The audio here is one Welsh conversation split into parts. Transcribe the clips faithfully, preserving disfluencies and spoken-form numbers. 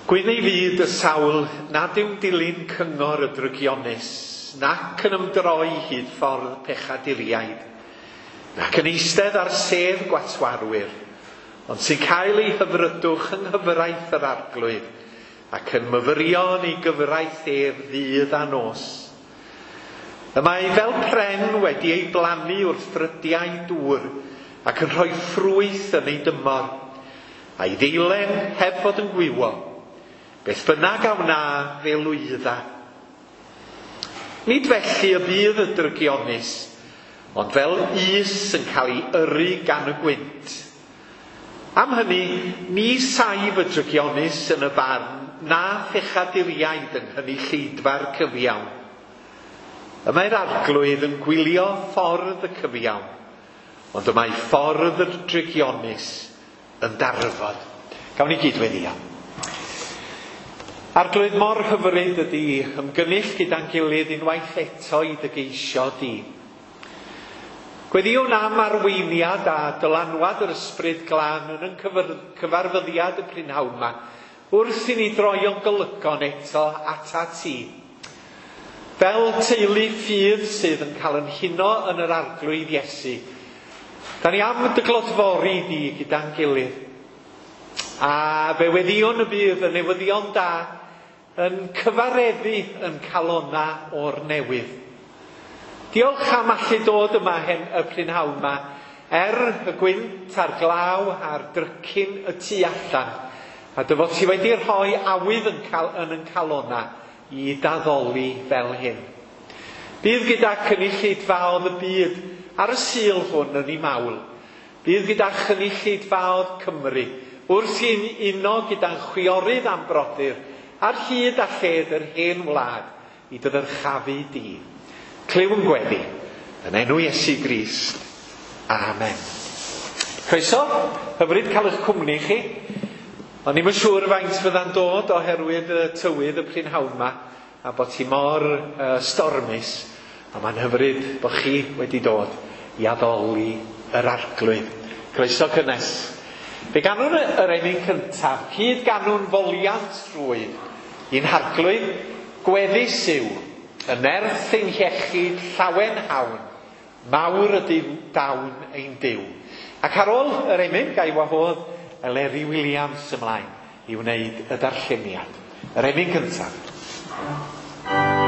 Gwyn ei fyd y sawl nad yw'n dilyn cyngor y drygionus, nac yn ymdroi hyd ffordd pechaduriaid, nac yn eistedd ar sedd gwatwarwyr, ond sy'n cael ei hyfrydwch yng nghyfraith yr arglwydd, ac yn myfyrio yn ei gyfraith ef ddydd a nos. Y mae fel pren wedi ei blannu wrth ffrydiau dŵr, ac yn rhoi ffrwyth yn ei dymor, a'i ddeilen heb fod yn gwywo. Beth bynnag a wna fe lwydda. Nid felly y bydd y drygionus, ond fel is yn cael ei yrru gan y gwynt. Am hynny, ni saif y drygionus yn y barn na phechaduriaid yng nghynulleidfa'r cyfiawn. Y mae'r arglwydd yn gwylio ffordd y cyfiawn, ond y mae ffordd y drygionus yn darfod. Gawn ni gyd weddïo. Arglwydd, mor hyfryd ydy ymgynnull gyda'n gilydd unwaith eto i dy geisio di. Gweddïwn am arweiniad a dylanwad yr ysbryd glân yn ein cyfarfyddiad y prynhawn yma, wrth i ni droi o'n golygon eto atat ti. Fel teulu ffydd sydd yn cael yn huno yn yr arglwydd Iesu, da ni am dy glodfori di gyda'n gilydd. A fe weddïwn y bydd y newyddion da yn cyfareddu yn calona o'r newydd. Diolch am allu dod yma hen y prynhawn yma, er y gwynt a'r glaw a'r drycin y tu allan, a dy fod ti wedi rhoi awydd yn, cal, yn yn calona i daddoli fel hyn. Bydd gyda cynulleidfaoedd y byd ar y Sul hwn yn ei mawl. Bydd gyda chynulleidfaoedd Cymru wrth i'n uno gyda'n chwiorydd a'n brodyr ar hyd a lled yr hen wlad i dy ddyrchafu di. Clyw yn gweddi, yn enw Iesu Grist. Amen. Croeso, hyfryd cael eich cwmni chi. O'n i'm yn siŵr faint fydda'n dod oherwydd y tywydd y prynhawn yma, a bod hi mor uh, stormus, a mae'n hyfryd bod chi wedi dod i addoli yr arglwydd. Croeso cynnes. Fe ganwn yr emyn cyntaf, cyd ganwn foliant rhwydd, i'n harglwydd gweddus yw, y nerth ein hiechyd llawen hawn, mawr ydy dawn ein Duw. Ac ar ôl yr emyn, ga i wahodd Eleri Williams ymlaen i wneud y darlleniad. Yr emyn cyntaf. Thank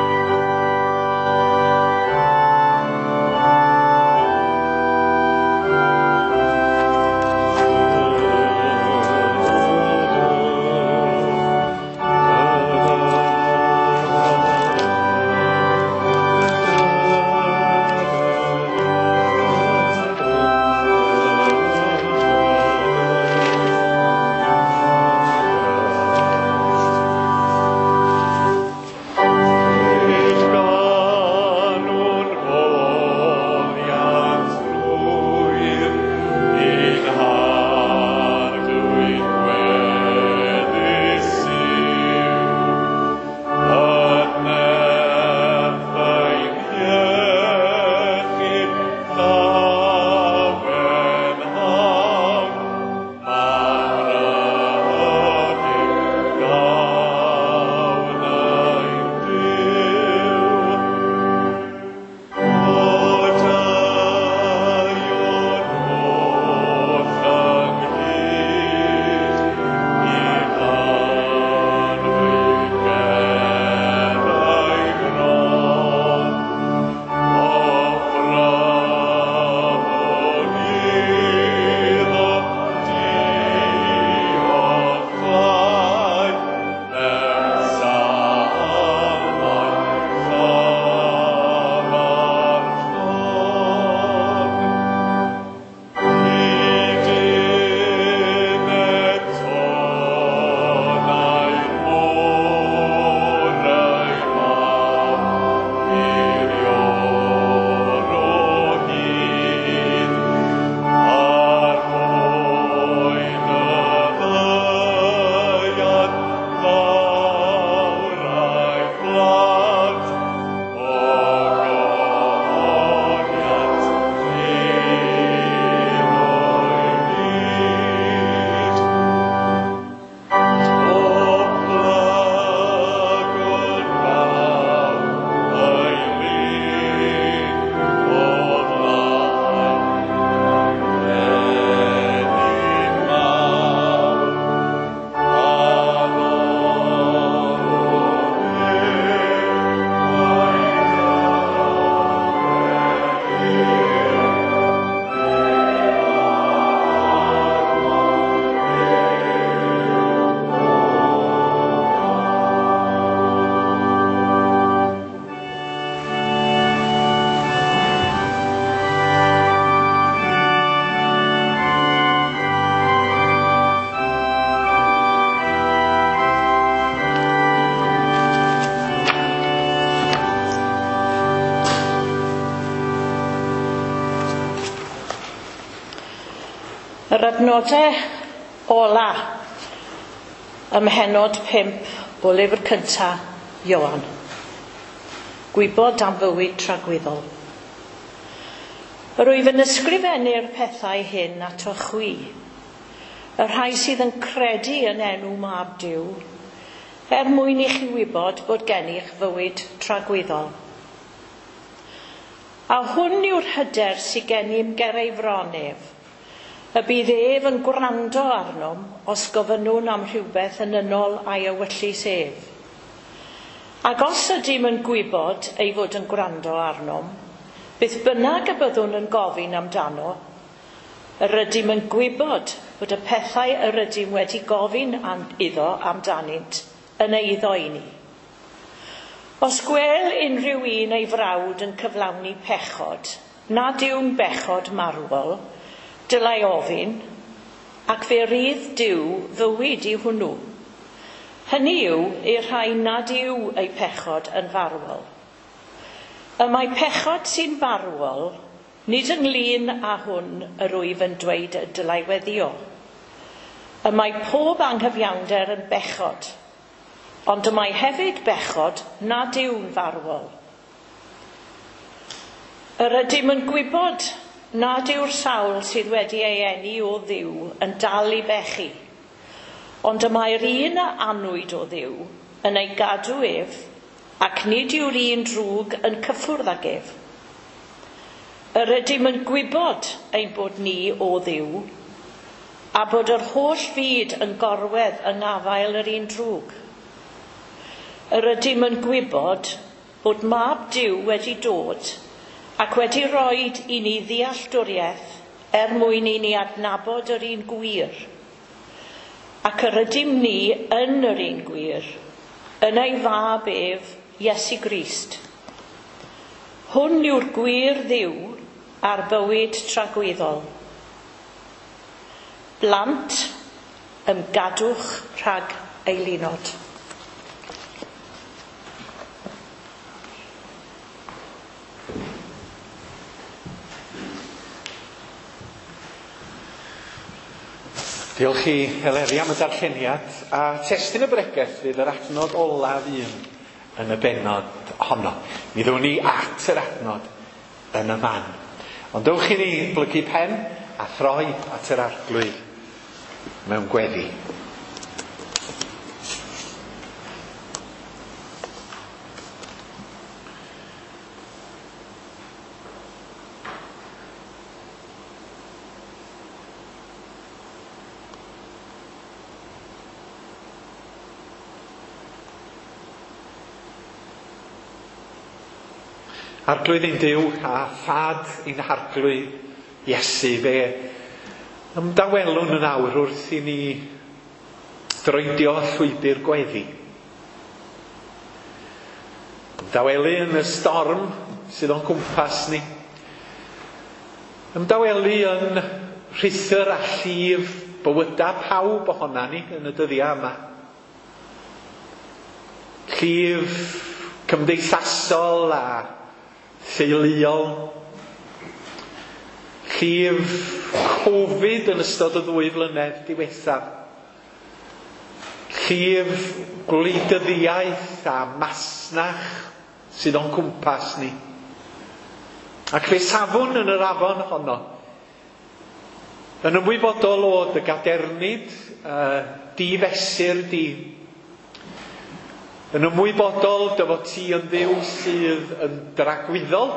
Yr adnodau ola ym mhennod pump o lyfr cynta Ioan. Gwybod am fywyd tragwyddol. Yr wyf yn ysgrifennu'r pethau hyn ato chwi, y rhai sydd yn credu yn enw Mab Duw, er mwyn i chi wybod bod gennych fywyd tragwyddol. A hwn yw'r hyder sydd gennym ger ei fron ef, y bydd ef yn gwrando arnom os gofynnwn am rhywbeth yn ynol a'i ewyllys ef. Ac os ydym yn gwybod ei fod yn gwrando arnom, beth bynnag y byddwn yn gofyn amdano, yr ydym yn gwybod bod y pethau yr ydym wedi gofyn am, iddo amdanynt yn eiddo i ni. Os gwel unrhyw un ei frawd yn cyflawni pechod, nad yw'n bechod marwol, dylai ofyn, ac fe rydd Duw fywyd i hwnnw. Hynny yw i'r rhai nad yw eu pechod yn farwol. Y mae pechod sy'n farwol, nid ynglyn â hwn yr wyf yn dweud y dylai weddio. Y mae pob anghyfiawnder yn bechod, ond y mae hefyd bechod nad yw'n farwol. Yr ydym yn gwybod nad yw'r sawl sydd wedi ei eni o Dduw yn dal i bechu, ond y mae'r un a anwyd o Dduw yn ei gadw ef, ac nid yw'r un drwg yn cyffwrdd ag ef. Yr ydym yn gwybod ein bod ni o Dduw, a bod yr holl fyd yn gorwedd yng ngafael yr un drwg. Yr ydym yn gwybod bod Mab Duw wedi dod ac wedi roed i ni ddealltwriaeth er mwyn i ni adnabod yr un gwir. Ac yr ydym ni yn yr un gwir, yn ei fab ef, Iesu Grist. Hwn yw'r gwir Dduw a'r bywyd tragwyddol. Blant, ymgadwch rhag eilunod. Diolch i Eleri am y darlleniad, a testun y bregeth fydd yr adnod olaf un yn y bennod honno. Mi ddown ni at yr adnod yn y man. Ond dewch i ni blygu pen a throi at yr Arglwydd mewn gweddi. Arglwydd ein Duw a Thad ein Harglwydd Iesu, fe ymdawelwn yn awr wrth i ni droedio llwybr gweddi. Ymdawelu yn y storm sydd o'n cwmpas ni. Ymdawelu yn rhuthr a llif bywyda pawb ohona ni yn y dyddiau yma. Llif cymdeithasol a theuluol, llif Covid yn ystod y ddwy flynedd diwethaf, llif gwleidyddiaeth a masnach sydd o'n cwmpas ni. Ac fe safwn yn yr afon honno, yn ymwybodol o dy gadernid, uh, di fesur di, yn ymwybodol dy fod ti yn Dduw sydd yn dragwyddol,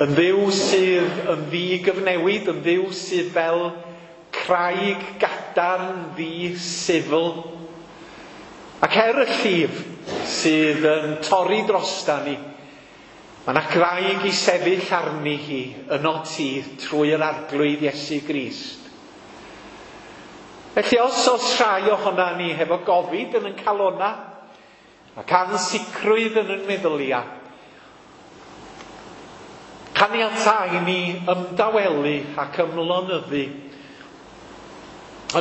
yn Dduw sydd yn ddigyfnewid, yn Dduw sydd fel craig gadarn ddi-sifl. Ac er y llif sydd yn torri drosta ni, mae yna graig i sefyll arni hi yno ti trwy yr Arglwydd Iesu Grist. Felly os oes rhai ohona ni hefo gofid yn ein calona ac ansicrwydd yn ein meddylia, caniatáu i ni ymdawelu ac ymlonyddu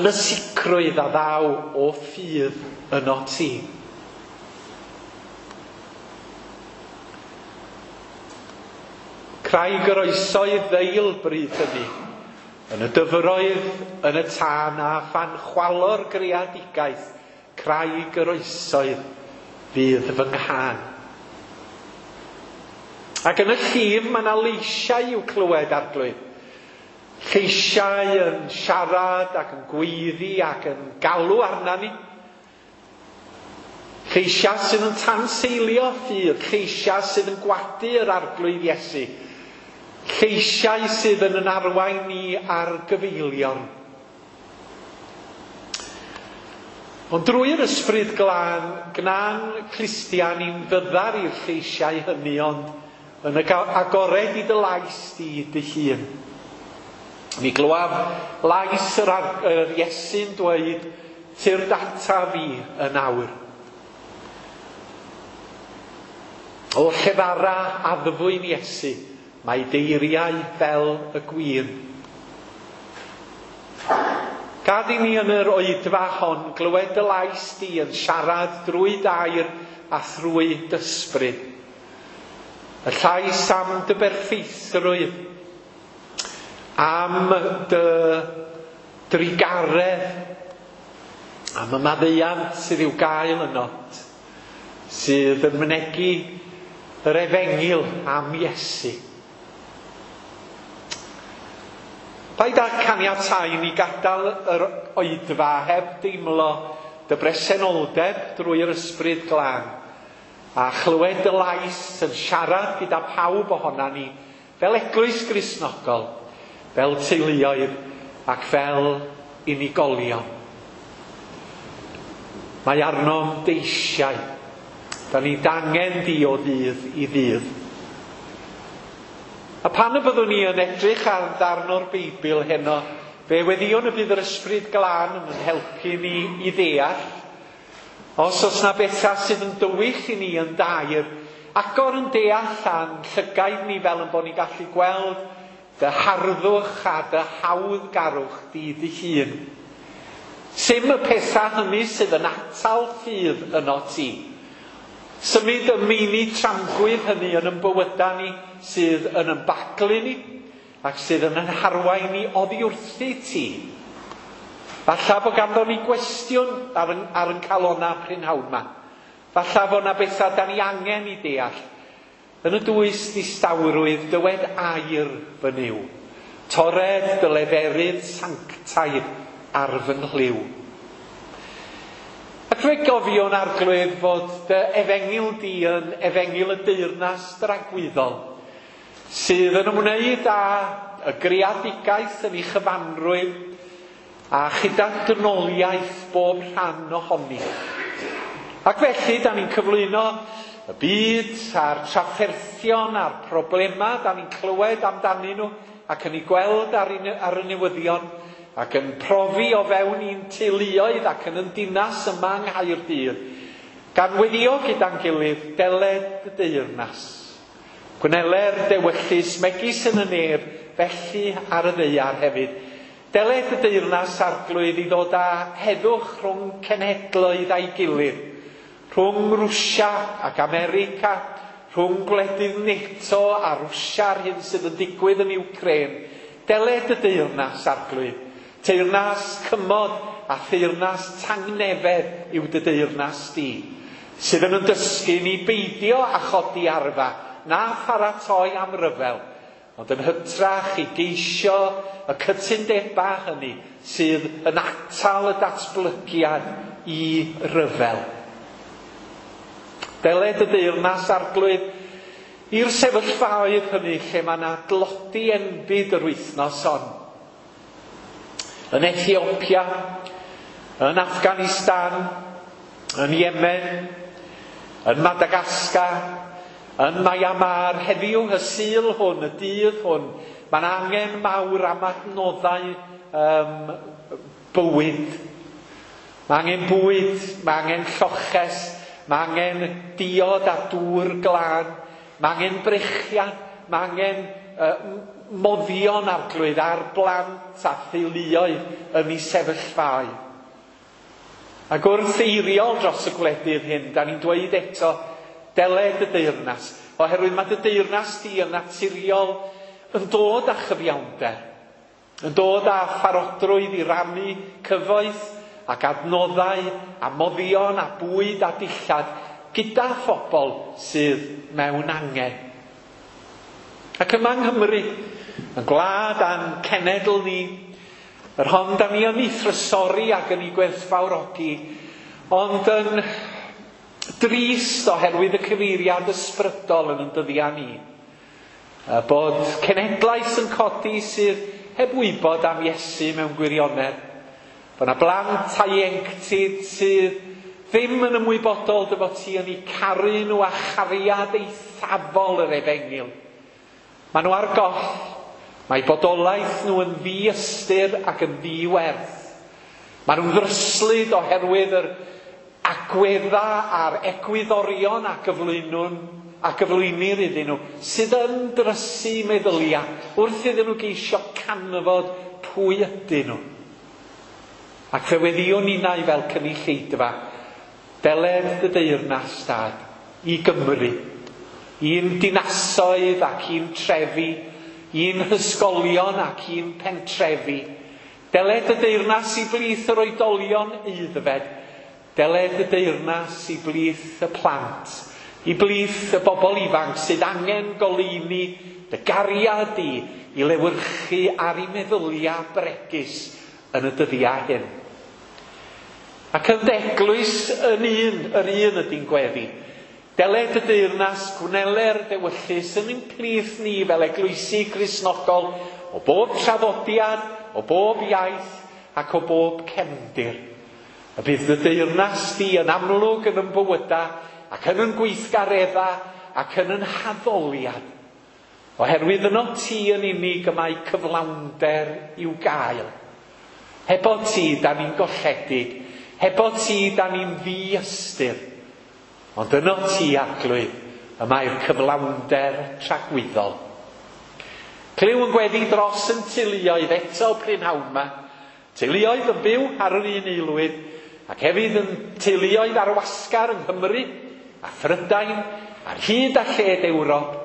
yn y sicrwydd a ddaw o ffydd yno ti. Craig yr oesoedd ddeil bryd hynny, Yn y dyfroedd, yn y tân a phan chwalo'r greadigaeth, craig yr oesoedd fydd fy nghân. Ac yn y llif mae yna leisiau i'w clywed, Arglwydd. Lleisiau yn siarad ac yn gweiddi ac yn galw arna ni. Lleisiau sydd yn tanseilio ffydd, lleisiau sydd yn gwadu yr Arglwydd Iesu. Lleisiau sydd yn yn arwain ni ar gyfeilion. Ond drwy'r Ysbryd Glân, gna'n clustiau ni'n fyddar i'r lleisiau hynny, ond yn agored i dy lais di dy hun. Mi glywaf lais yr, yr Iesu'n dweud, tyrd ata fi yn awr. O llefara addfwyn Iesu, mae deiriau fel y gwin. Gad i ni yn yr oedfa hon glywed dy lais di yn siarad drwy dair a thrwy d'ysbryd. Y llais am dy berffeithrwydd, am dy drugaredd, am y maddeuant sydd i'w gael ynot, sydd yn mynegi yr efengyl am Iesu. Paid â caniatáu ni gadael yr oedfa heb deimlo dy bresenoldeb drwy'r Ysbryd Glân a chlywed dy lais yn siarad gyda pawb ohona ni fel eglwys Gristnogol, fel teuluoedd ac fel unigolion. Mae arnom deisiau. Da ni dangen di o ddydd i ddydd. A pan y byddwn ni yn edrych ar ddarn o'r Beibl heno, fe weddïwn y bydd yr Ysbryd Glân yn helpu ni i ddeall. Os oes na bethau sydd yn dywyll i ni yn dair, agor yn deall a'n llygaid ni fel yn bod ni'n gallu gweld dy harddwch a dy hawddgarwch di dy hun. Sim y pethau hynny sydd yn atal ffydd yno ti. Symud y meini tramgwydd hynny yn yn bywydau ni sydd yn ymbaglu ni ac sydd yn yn harwain ni oddi wrthi ti. Falla bod ganddo ni gwestiwn ar yn, ar yn calona prynhawn yma. Falla bod na bethau da ni angen i deall. Yn y dwys distawrwydd dywed air fy Nuw. Tored dy leferydd sanctaidd ar fy nghlyw. Ac fe gofiwn, Arglwydd, fod dy efengyl di yn efengyl y deyrnas dragwyddol, sydd yn ymwneud â y greadigaeth yn ei chyfanrwydd a chyda dynoliaeth bob rhan ohoni. Ac felly, da ni'n cyflwyno y byd a'r trafferthion a'r problemau da ni'n clywed amdanyn nhw ac yn ei gweld ar, un, ar y newyddion ac yn profi o fewn i'n teuluoedd ac yn yn dinas yma yng Nghaerdydd, gan weddio gyda'n gilydd, deled y deyrnas. Gwneler dewyllys megis yn y nef, felly ar y ddaear hefyd. Deled y deyrnas, Arglwydd, i ddod â heddwch rhwng cenhedloedd a'i gilydd, rhwng Rwsia ac America, rhwng gwledydd NATO a Rwsia a'r hyn sydd yn digwydd yn Ukraine. Deled y deyrnas, Arglwydd. Teyrnas cymod a theyrnas tangnefedd yw dy deyrnas di, sydd yn dysgu ni beidio a chodi arfa, na pharatoi am ryfel, ond yn hytrach i geisio y cytundebau hynny sydd yn atal y datblygiad i ryfel. Deled y deyrnas, Arglwydd, i'r sefyllfaoedd hynny lle mae yna dlodi enbyd yr wythnos hon. Yn Ethiopia, yn Afghanistan, yn Yemen, yn Madagascar, yn Myanmar, heddiw y Sul hwn, y dydd hwn, mae'n angen mawr am adnoddau um, bywyd. Mae angen bwyd, mae angen lloches, mae angen diod a dŵr glân, mae angen brechiad, mae angen uh, moddion, Arglwydd, ar blant a theuluoedd yn ei sefyllfaoedd. Ac wrth eiriol dros y gwledydd hyn, da ni'n dweud eto, deled y deyrnas, oherwydd mae dy deyrnas di yn naturiol yn dod â chyfiawnder, Yn dod â pharodrwydd i rannu cyfoeth ac adnoddau a moddion a bwyd a dillad gyda phobl sydd mewn angen. Ac yma yng Nghymru, yn gwlad a'n cenedl ni, yr hon da ni yn ei thrysori ac yn ei gwerthfawrogi, ond yn drist oherwydd y cyfeiriad ysbrydol yn yn dyddiau ni. Bod cenhedlaeth yn codi sydd heb wybod am Iesu mewn gwirionedd. Bod yna blant a ieuenctid sydd ddim yn ymwybodol dy fod ti yn eu caru nhw a chariad eithafol yr efengyl. Maen nhw ar goll. Mae bodolaeth nhw yn ddiystyr ac yn ddiwerth. Maen nhw'n ddryslyd oherwydd yr agwedda a'r egwyddorion a gyflwynwn a gyflwynir iddyn nhw, sydd yn drysu meddyliau wrth iddyn nhw geisio canfod pwy ydyn nhw. Ac fe weddïwn ninnau fel cynulleidfa, deled dy deyrnas Dad i Gymru, i'n dinasoedd ac i'n trefi, i'n hysgolion ac i'n pentrefi. Deled y deyrnas i blith yr oedolion aeddfed, deled y deyrnas i blith y plant, i blith y bobl ifanc sydd angen goleuni dy gariad di i lewyrchu ar eu meddyliau bregus yn y dyddiau hyn. Ac yn eglwys yn un, yr un ydy'n gweddi. Deled y deyrnas, gwneler dewyllys yn ein plith ni fel eglwysi Cristnogol o bob traddodiad, o bob iaith ac o bob cefndir. Y bydd y deyrnas di yn amlwg yn yn bywyda ac yn yn gweithgaredda ac yn yn haddoliad. Oherwydd yno ti yn unig y mae cyflawnder i'w gael. Hebo ti, da ni'n golledig. Hebo ti, da ni'n ddiystyr. Ond yno ti, Arglwydd, y mae'r cyflawnder tragwyddol. Clyw yn gweddi dros yn teuluoedd eto prynhawn yma. Teuluoedd yn byw ar yr un aelwyd, ac hefyd yn teuluoedd ar wasgar yng Nghymru, a Phrydain, ar hyd a lled Ewrop,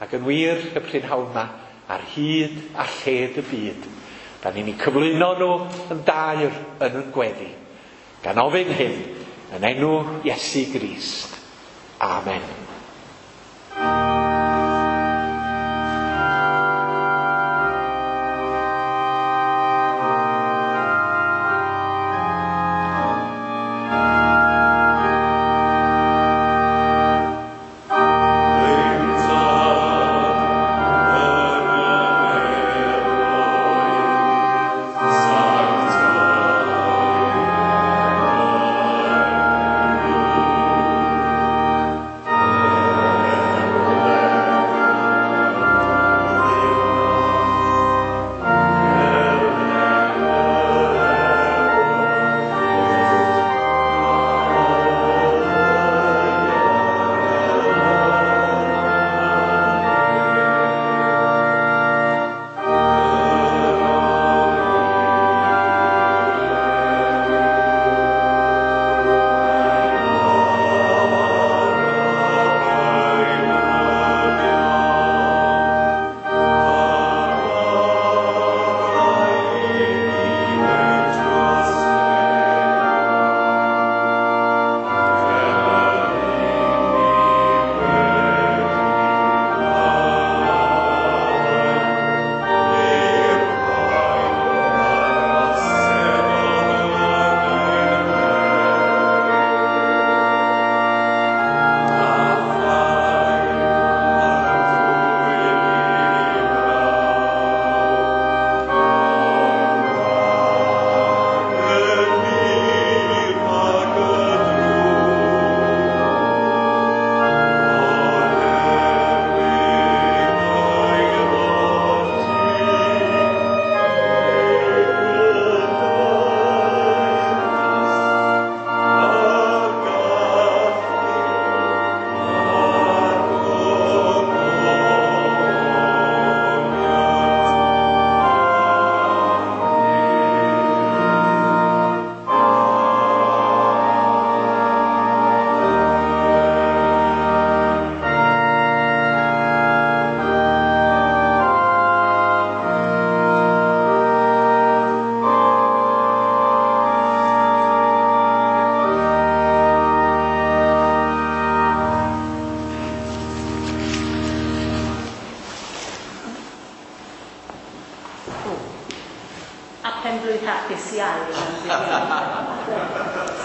ac yn wir y prynhawn yma, ar hyd a lled y byd. Da ni'n eu cyflwyno nhw yn dair yn yn gweddi. Gan ofyn hyn, yn enw Iesu Grist. Amen. Sancta hapus iawn.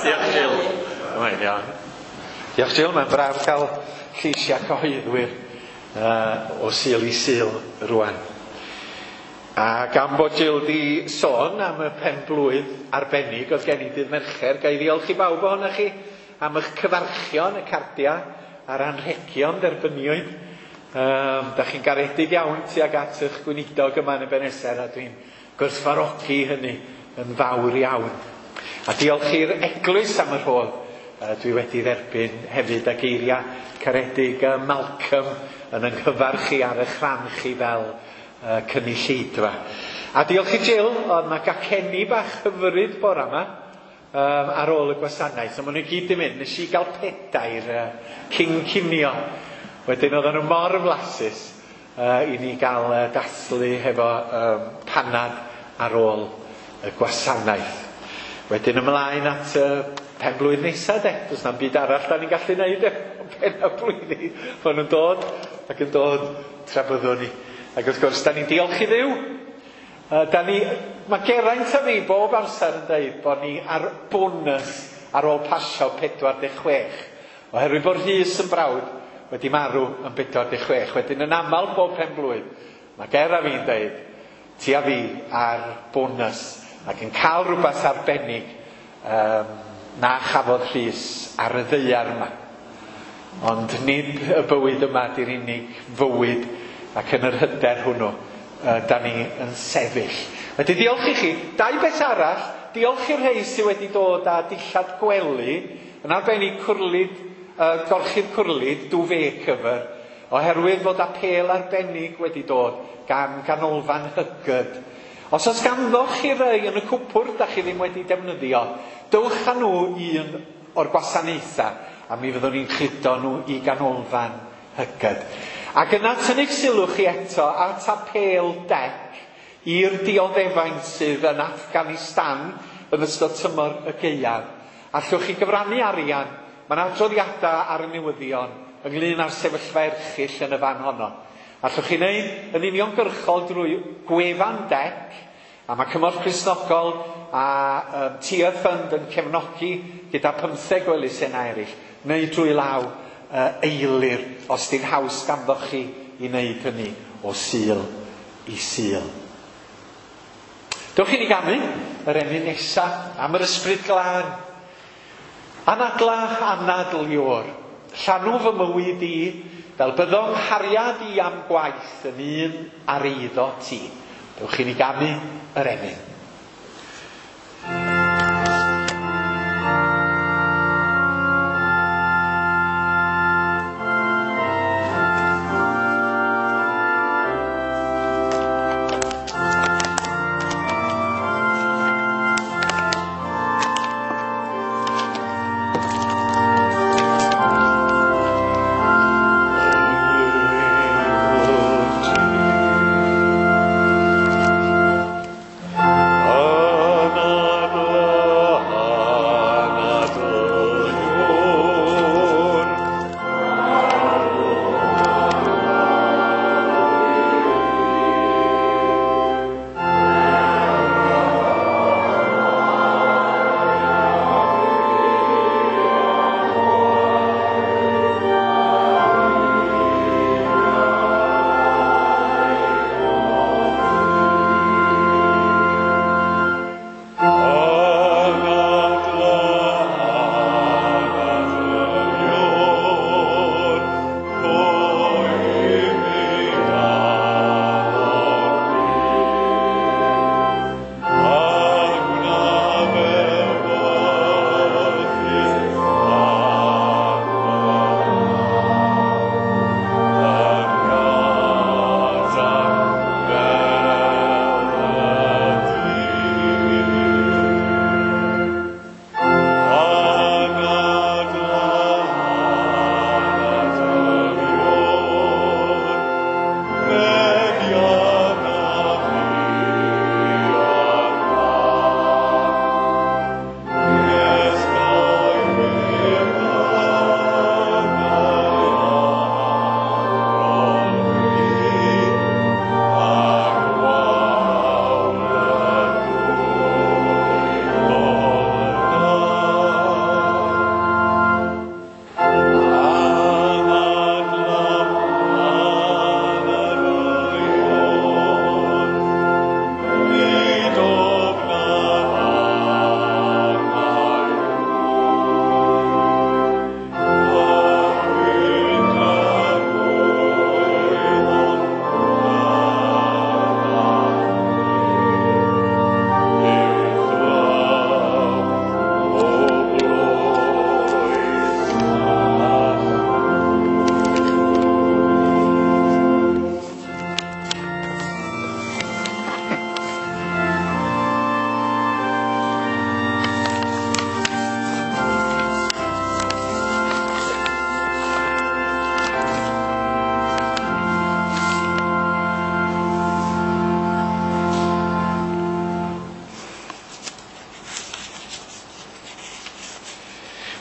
Diolch Jill. Mae'n iawn. Diolch Jill, mae'n braf cael lleisiau cyhoeddwyr uh, o Sul i Sul rwan. A gan bod Jill di sôn am y pen-blwydd arbennig oedd gen i dydd Mercher, ga i ddiolch i bawb ohonoch chi am eich cyfarchion, y cardiau a'r anrhegion derbyniwyd. Um, da chi'n garedig iawn tuag at eich gweinidog yma yn Ebeneser, a dwi'n gwerthfawrogi hynny yn fawr iawn. A diolch i'r eglwys am y rhodd uh, dwi wedi dderbyn hefyd, a geiriau caredig uh, Malcolm yn yng nghyfarch chi ar eich rhan chi fel uh, cynulleidfa. A diolch i Jill, oedd yna gacenni bach hyfryd bora yma um, ar ôl y gwasanaeth. So, maen nhw i gyd di mynd, nes i gael pedair uh, cyn cinio. Wedyn oedden nhw mor flasus uh, i ni gael uh, dathlu hefo um, panad ar ôl y gwasanaeth. Wedyn ymlaen at uh, pen blwydd nesaf de. Does na'm byd arall da ni'n gallu neud efo pen y blwyddyn. Maen nhw'n dod ac yn dod tra byddwn ni. Ac wrth gwrs, da ni'n diolch i Dduw. Uh, da ni, mae Geraint a fi bob amser yn dweud bod ni ar bonus ar ôl pasio pedwar deg chwech. Oherwydd bod Rhys yn brawd wedi marw yn pedwar deg chwech. Wedyn yn aml bob pen blwydd, mae Ger a fi'n dweud, ti a fi ar bonus ac yn cael rhywbeth arbennig um, na chafodd Rhys ar y ddaear yma. Ond nid y bywyd yma di'r unig fywyd, ac yn yr hyder hwnnw uh, da ni yn sefyll. Wedyn diolch i chi. Dau beth arall, diolch i'r rhai sydd wedi dod â dillad gwely, yn arbennig cwrlid, uh, gorchudd cwrlid, duvet cover, oherwydd fod apêl arbennig wedi dod gan ganolfan Hygyd. Os oes ganddoch chi rai yn y cwpwrdd da chi ddim wedi defnyddio, dewch â nhw un o'r gwasanaethau, a mi fyddwn ni'n cludo nhw i ganolfan Hygyd. Ac yna tynnu sylw chi eto at apêl dec i'r dioddefaint sydd yn Afghanistan yn ystod tymor y gaeaf. Allwch chi gyfrannu arian, mae yna adroddiadau ar y newyddion ynglyn â'r sefyllfa erchyll yn y fan honno. Allwch chi wneud yn uniongyrchol drwy gwefan dec, a mae Cymorth Cristnogol a um, Tear Fund yn cefnogi gyda pymtheg o elusennau eraill, neu drwy law uh, eilir, os di'n haws ganddoch chi i wneud hynny o Sul i Sul. Dewch i ni ganu yr emyn nesa am yr Ysbryd Glân. Anadla anadl Ior, llanw fy mywyd i, fel byddo'n nghariad i am gwaith yn un ar eiddo ti. Dewch i ni ganu yr emyn. Thank you.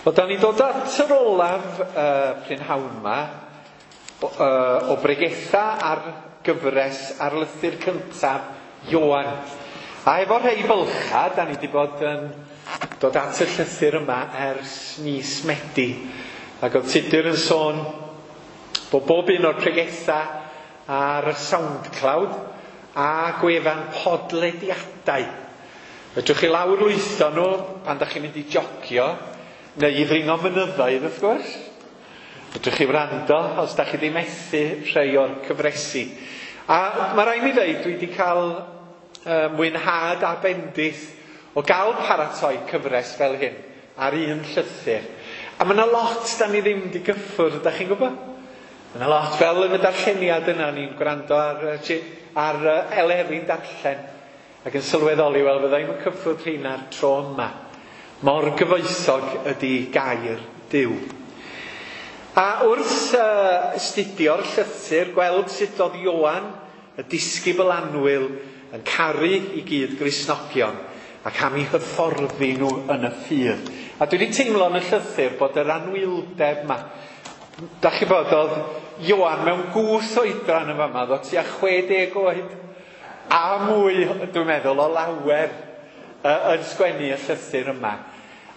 Wel, da ni'n dod at yr olaf uh, prynhawn yma o, uh, o bregetha ar gyfres ar lythyr cyntaf Ioan. A efo rhai bylcha, da ni wedi bod yn dod at y llythyr yma ers mis Medi. Ac oedd Tudur yn sôn bod bob un o'r pregetha ar SoundCloud a gwefan podlediadau. Fedrwch chi lawr lwytho nhw pan da chi'n mynd i jogio, neu i ddringo mynyddoedd, wrth gwrs. Fedrwch chi wrando os da chi ddim methu rhai o'r cyfresi. A mae rhaid mi ddeud, dwi wedi cael uh, mwynhad a bendith o gael paratoi cyfres fel hyn ar un llythyr. A mae yna lot da ni ddim wedi gyffwrdd, da chi'n gwybod? Mae yna lot, fel yn y darlleniad yna, ni'n gwrando ar, ar Eleri'n darllen ac yn sylweddoli, wel, fydda i'm yn cyffwrdd rheina'r tro yma. Mor gyfoethog ydy gair Duw. A wrth uh, astudio'r llythyr, gweld sut oedd Ioan, y disgybl annwyl, yn caru i gyd Gristnogion ac am eu hyfforddi nhw yn y ffydd. A dwi wedi teimlo yn y llythyr bod yr anwyldeb yma. Da chi bod, oedd Ioan mewn gwth oedran yn fama, oedd tua chwe deg oed a mwy, dwi'n meddwl, o lawer uh, yn sgwennu y llythyr yma.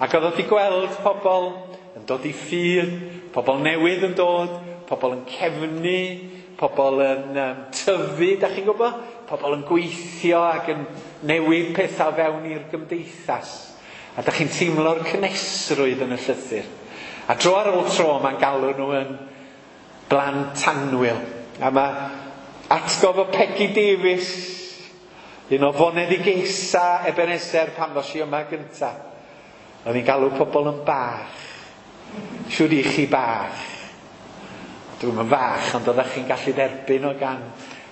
Ac oedd wedi gweld pobl yn dod i ffydd, pobl newydd yn dod, pobl yn cefnu, pobl yn um, tyfu, da chi'n gwybod? Pobl yn gweithio ac yn newid pethau fewn i'r gymdeithas. A da chi'n teimlo'r cynhesrwydd yn y llythyr. A dro ar ôl tro mae'n galw nhw yn blant annwyl. A mae atgof o Peggy Davies, un o foneddigesa Ebenezer pan ddos i yma gynta. Oedd hi'n galw pobl yn bach. Siwr i chi bach. Dwi'm yn fach, ond oeddech chi'n gallu derbyn o gan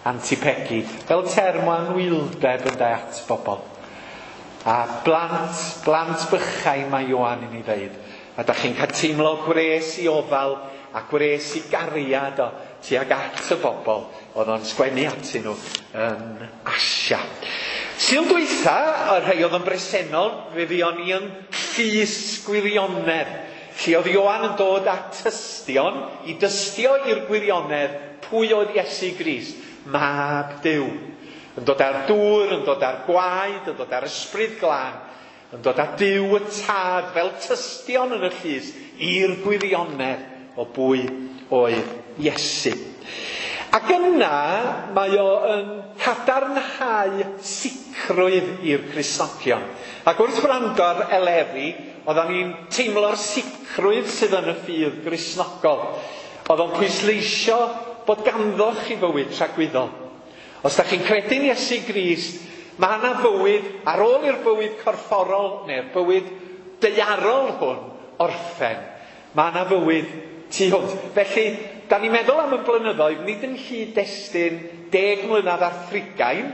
Auntie Peggy. Fel term o anwyldeb yn de at bobl. A blant, blant bychain mae Ioan i ni ddeud. A da chi'n cael teimlo gwres i ofal a gwres i gariad o tuag at y bobl oedd o'n sgwennu atyn nhw yn Asia. Sul dwytha, y rhai oedd yn bresennol, fe fuon ni yn llys gwirionedd. Lle oedd Ioan yn dod at tystion i dystio i'r gwirionedd pwy oedd Iesu Grist, mab Duw. Yn dod â'r dŵr, yn dod â'r gwaed, yn dod â'r ysbryd glân, yn dod â Duw y Tad fel tystion yn y llys i'r gwirionedd o bwy oedd Iesu. Ac yna mae o yn cadarnhau sicrwydd i'r Cristnogion. Ac wrth wrando ar Eleri, oedden ni'n teimlo'r sicrwydd sydd yn y ffydd Gristnogol. Oedd o'n pwysleisio bod ganddo chi fywyd tragwyddol. Os da chi'n credu'n Iesu Grist, mae yna fywyd ar ôl i'r bywyd corfforol neu'r bywyd daearol hwn orffen. Mae yna fywyd tu hwnt. Felly, da ni'n meddwl am y blynyddoedd, nid yn nghyd-destun deg mlynedd ar thrigain,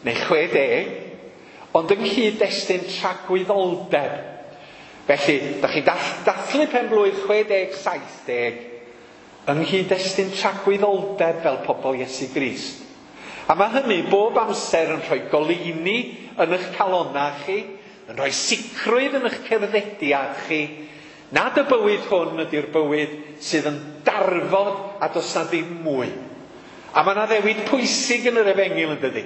neu chwe deg, ond yng nghyd-destun tragwyddoldeb. Felly, da chi'n dathlu pen blwydd chwe deg, saith deg, yng nghyd-destun tragwyddoldeb fel pobl Iesu Grist. A mae hynny bob amser yn rhoi goleuni yn eich calonnau chi, yn rhoi sicrwydd yn eich cerddediad chi, nad y bywyd hwn ydy'r bywyd sydd yn darfod a does na ddim mwy. A mae yna ddewid pwysig yn yr efengyl yn dydi.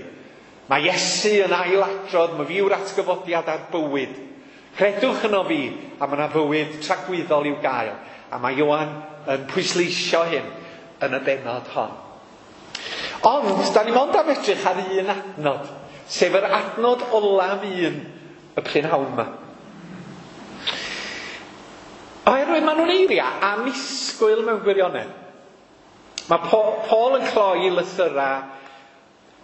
Mae Iesu yn ailadrodd, mae fi yw'r atgyfodiad a'r bywyd. Credwch yno fi, a mae yna fywyd tragwyddol i'w gael. A mae Ioan yn pwysleisio hyn yn y bennod hon. Ond, da ni mond am edrych ar un adnod, sef yr adnod olaf un y prynhawn yma. Oherwydd maen nhw'n eiriau annisgwyl mewn gwirionedd. Mae Paul yn cloi lythyrau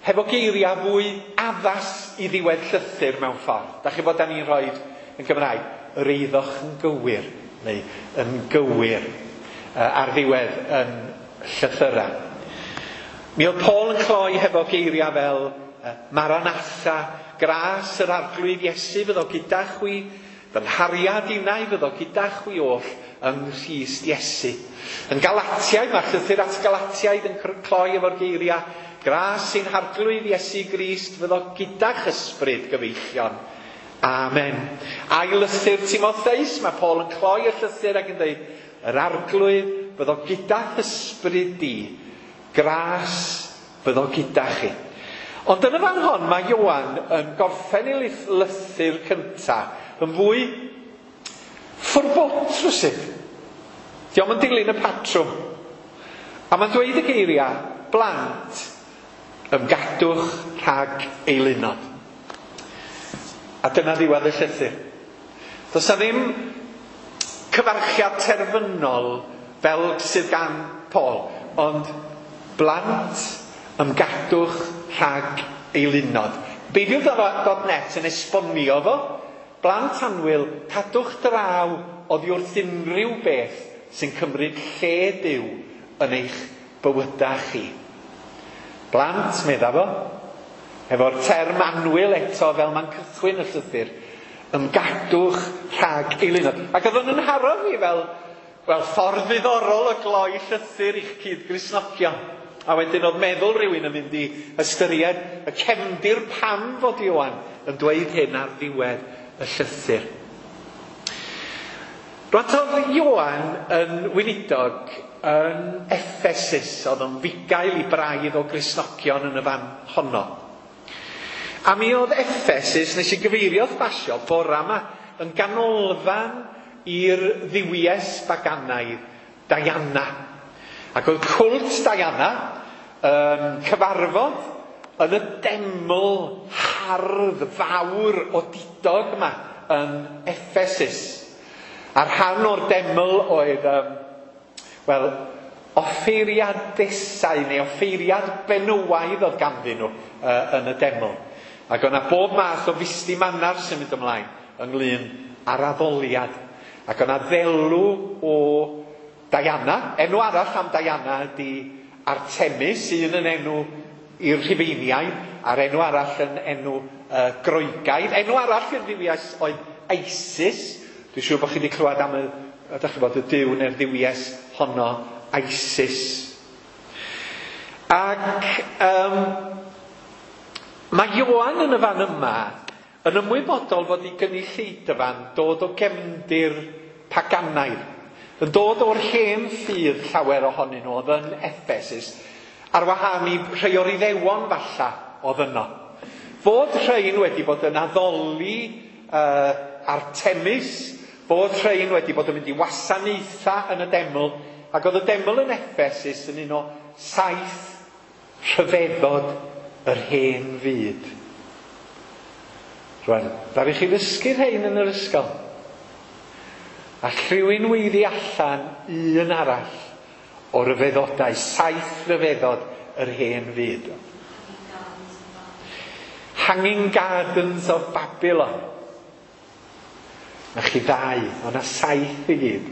hefo geiriau fwy addas i ddiwedd llythyr mewn ffordd. Da chi bod da ni'n rhoi yn Gymraeg, yr eiddoch yn gywir, neu yn gywir ar ddiwedd yn llythyrau. Mi oedd Paul yn cloi hefo geiriau fel Maranatha, gras yr arglwydd Iesu fyddo gyda chwi, fy nghariad innau fyddo gyda chwi oll yng Nghrist Iesu. Yn Galatiaid, mae'r llythyr at Galatiaid yn cloi efo'r geiriau, gras ein harglwydd Iesu Grist fyddo gyda'ch ysbryd gyfeillion. Amen. Ail lythyr Timotheus, mae Paul yn cloi y llythyr ac yn dweud, yr arglwydd fyddo gyda'th ysbryd di, gras fyddo gyda chi. Ond yn y fan hon mae Ioan yn gorffen ei lythyr cyntaf yn fwy ffwrbot rywsut. Dio'm yn dilyn y patrwm. A mae'n dweud y geiriau, blant, ymgadwch rhag eilunod. A dyna ddiwedd y llythyr. Does 'na ddim cyfarchiad terfynol fel sydd gan Paul, ond blant, ymgadwch rhag eilunod. Beibl dot net yn esbonio fo, blant annwyl, cadwch draw oddi wrth unrhyw beth sy'n cymryd lle Duw yn eich bywydau chi. Blant, medda fo, efo'r term annwyl eto fel mae'n cychwyn y llythyr, ymgadwch rhag eilunod. Ac oedd o'n nharo fi fel, wel, ffordd ddiddorol o gloi llythyr i'ch cyd-Gristnogion. A wedyn oedd meddwl rhywun yn mynd i ystyried y cefndir pam fod Ioan yn dweud hyn ar ddiwedd y llythyr. Rwan oedd Ioan yn weinidog yn Ephesus, oedd o'n fugail i braidd o Gristnogion yn y fan honno. A mi oedd Ephesus, nes i gyfeiriodd basio bora yma, yn ganolfan i'r dduwies baganaidd Diana. Ac oedd cwlt Diana yn cyfarfod yn y deml hardd fawr odidog yma yn Ephesus. A rhan o'r deml oedd, um, wel, offeiriadesau neu offeiriad benywaidd oedd ganddyn nhw uh, yn y deml. Ac o'na bob math o fusty manar sy'n mynd ymlaen ynglyn â'r addoliad. Ac o'na ddelw o Diana. Enw arall am Diana ydy Artemis, un yn enw i'r Rhufeiniaid, a'r enw arall yn enw uh, Groegaidd. Enw arall i'r dduwies oedd Isis. Dwi'n siŵr bod chi wedi clywed am y, ydych chi bod y duw neu'r dduwies honno, Isis. Ac um, mae Ioan yn y fan yma yn ymwybodol fod ei gynulleidfa'n dod o gefndir paganaidd, yn dod o'r hen ffydd llawer ohonyn nhw oedd yn Ephesus, ar wahân i rhai o'r Iddewon falla oedd yno. Fod rhain wedi bod yn addoli uh, Artemis, fod rhain wedi bod yn mynd i wasanaethau yn y deml, ac oedd y deml yn Ephesus yn un o saith rhyfeddod yr hen fyd. Rwan, ddaru chi ddysgu rhain yn yr ysgol. A rhywun weiddi allan un arall o ryfeddodau, saith ryfeddod yr hen fyd. Hanging Gardens of Babylon. Na chi ddau, o'na saith i gyd.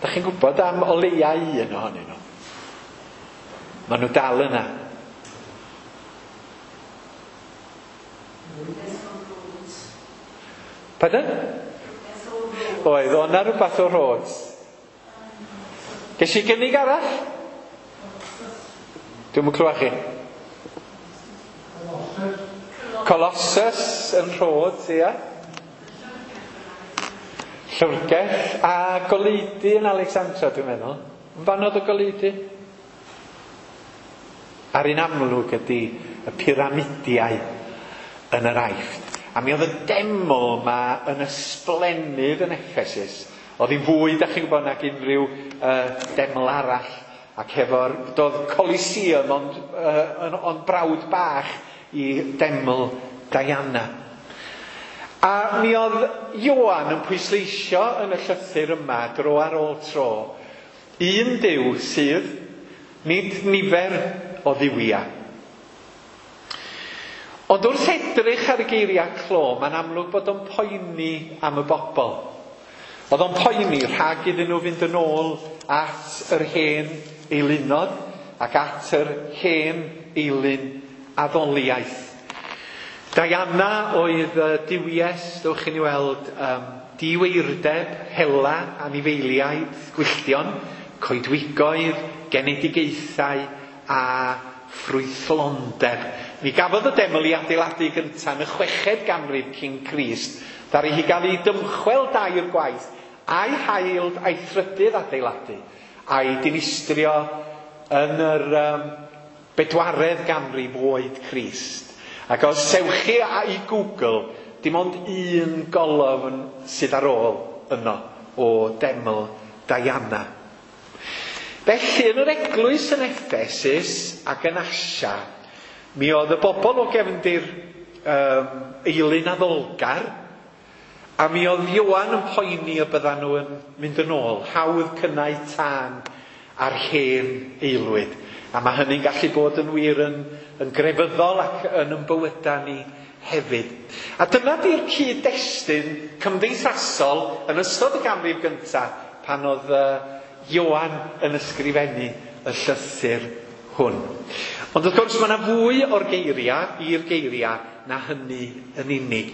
Da chi'n gwybod am o leia un ohonyn nhw. Maen nhw dal yna. Pardon? Oedd, o'na rhywbeth o Rhodes. Ges i gynnig arall? Dwi'm yn clywed chi. Colossus yn Rhodes, ia. Llyfrgell a goleudy yn Alexandra, dwi'n meddwl. Yn fan oedd y goleudy? A'r un amlwg ydy y piramidiau yn yr Aifft. A mi oedd y deml ma yn ysblennydd yn Ephesus. Oedd hi'n fwy, da chi'n gwybod, nag unrhyw uh, deml arall. Ac hefo'r, doedd Coliseum ond, uh, ond brawd bach i deml Diana. A mi oedd Ioan yn pwysleisio yn y llythyr yma dro ar ôl tro un Duw sydd nid nifer o dduwiau. Ond wrth edrych ar y geiriau clo, mae'n amlwg bod o'n poeni am y bobl. Oedd o'n poeni rhag iddyn nhw fynd yn ôl at yr hen eilunod ac at yr hen eilun addoliaeth. Diana oedd y duwies, dewch chi ni weld, um, diweirdeb, hela, anifeiliaid, gwylltion, coedwigoedd, genedigaethau a ffrwythlondeb. Mi gafodd y deml ei adeiladu gyntaf yn y chweched ganrif cyn Crist, ddaru hi gael ei dymchwel dair gwaith, a'i hail a'i thrydydd adeiladu, a'i dinistrio yn yr um, bedwaredd ganrif oed Crist. Ac os sewch chi a'i Google, dim ond un golofn sydd ar ôl yno o deml Diana. Felly, yn yr eglwys yn Ephesus ac yn Asia, mi oedd y bobl o gefndir um, eilun addolgar, a mi oedd Ioan yn poeni y byddan nhw yn mynd yn ôl, hawdd cynnau tân ar hen aelwyd. A mae hynny'n gallu bod yn wir yn, yn grefyddol ac yn ymbywyda ni hefyd. A dyna di'r cyd-destun cymdeithasol yn ystod y ganrif gyntaf pan oedd uh, Ioan yn ysgrifennu y llythyr hwn. Ond wrth gwrs mae yna fwy o'r geiriau i'r geiriau na hynny yn unig.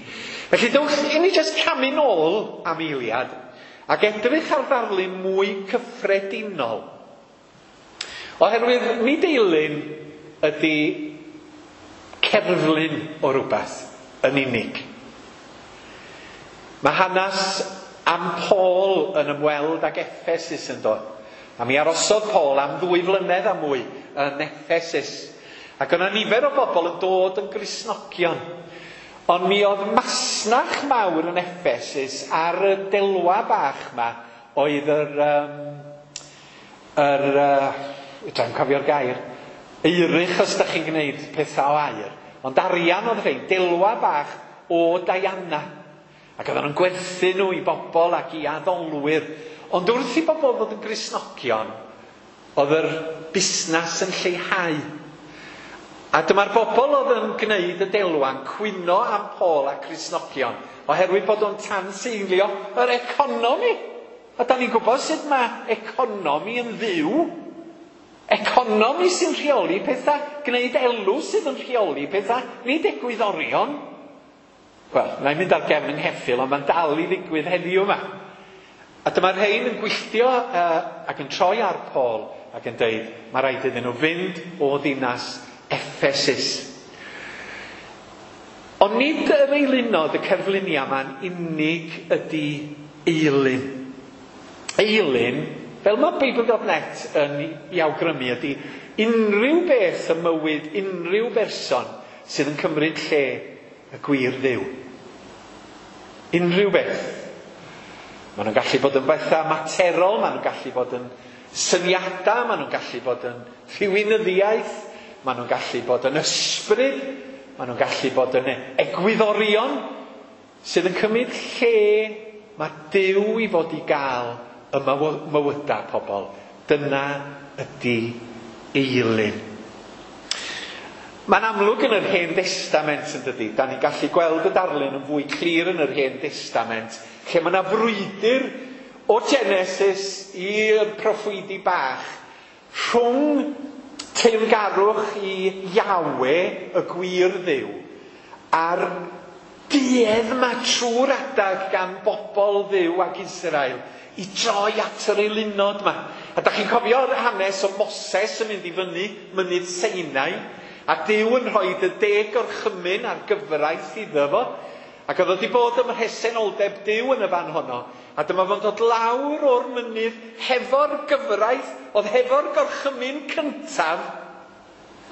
Felly dewch i ni jyst camu nôl am eiliad ac edrych ar ddarlun mwy cyffredinol. Oherwydd nid eilun ydy cerflun o rhywbeth yn unig. Mae hanes am Paul yn ymweld ag Ephesus yn dod. A mi arosodd Paul am ddwy flynedd a mwy yn Ephesus. Ac yna nifer o bobl yn dod yn Gristnogion. Ond mi oedd masnach mawr yn Ephesus ar y delwa bach yma oedd yr... Um, yr uh, Dwi'n cofio'r gair. Eirych os da chi'n gwneud pethau o aur. Ond arian oedd rhain, delwa bach o Diana. Ac oedden nhw'n gwerthu nhw i bobl ac i addolwyr. Ond wrth i bobl ddod yn Gristnogion, oedd yr busnes yn lleihau. A dyma'r bobl oedd yn gwneud y delwa'n cwyno am Paul a Cristnogion, oherwydd bod o'n tanseilio yr economi. A da ni'n gwybod sut mae economi yn ddiw. Economi sy'n rheoli pethau, gwneud elw sydd yn rheoli pethau, nid egwyddorion. Wel, na i mynd ar gefn yng ngheffyl, ond mae'n dal i ddigwydd heddiw yma. A dyma'r rhain yn gwylltio uh, ac yn troi ar Paul ac yn deud, mae rhaid iddyn nhw fynd o ddinas Ephesus. Ond nid yr eilunod y cerfluniau yma'n unig ydy eilun. Eilun, fel mae Bible dot net yn ei awgrymu, ydy unrhyw beth ym mywyd unrhyw berson sydd yn cymryd lle y gwir Dduw. Unrhyw beth. Maen nhw'n gallu bod yn bethau materol, maen nhw'n gallu bod yn syniadau, maen nhw'n gallu bod yn rhywunyddiaeth, maen nhw'n gallu bod yn ysbryd, maen nhw'n gallu bod yn egwyddorion sydd yn cymryd lle mae Duw i fod i gael y mywydau pobl. Dyna ydy eilun. Mae'n amlwg yn yr Hen Destament yn dydy. Da ni'n gallu gweld y darlun yn fwy clir yn yr Hen Destament, lle mae yna frwydr o Genesis i'r proffwydi bach rhwng teyrngarwch i Yahweh, y gwir Dduw, a'r duedd yma trwy'r adag gan bobl Dduw ac Israel i droi at yr eilunod yma. A da chi'n cofio'r hanes o Moses yn mynd i fyny mynydd Sinai, a Duw yn rhoi y deg orchymyn a'r gyfraith iddo fo, ac oedd wedi bod ym mhresenoldeb Duw yn y fan honno, a dyma fo'n dod lawr o'r mynydd hefo'r gyfraith, oedd hefo'r gorchymyn cyntaf.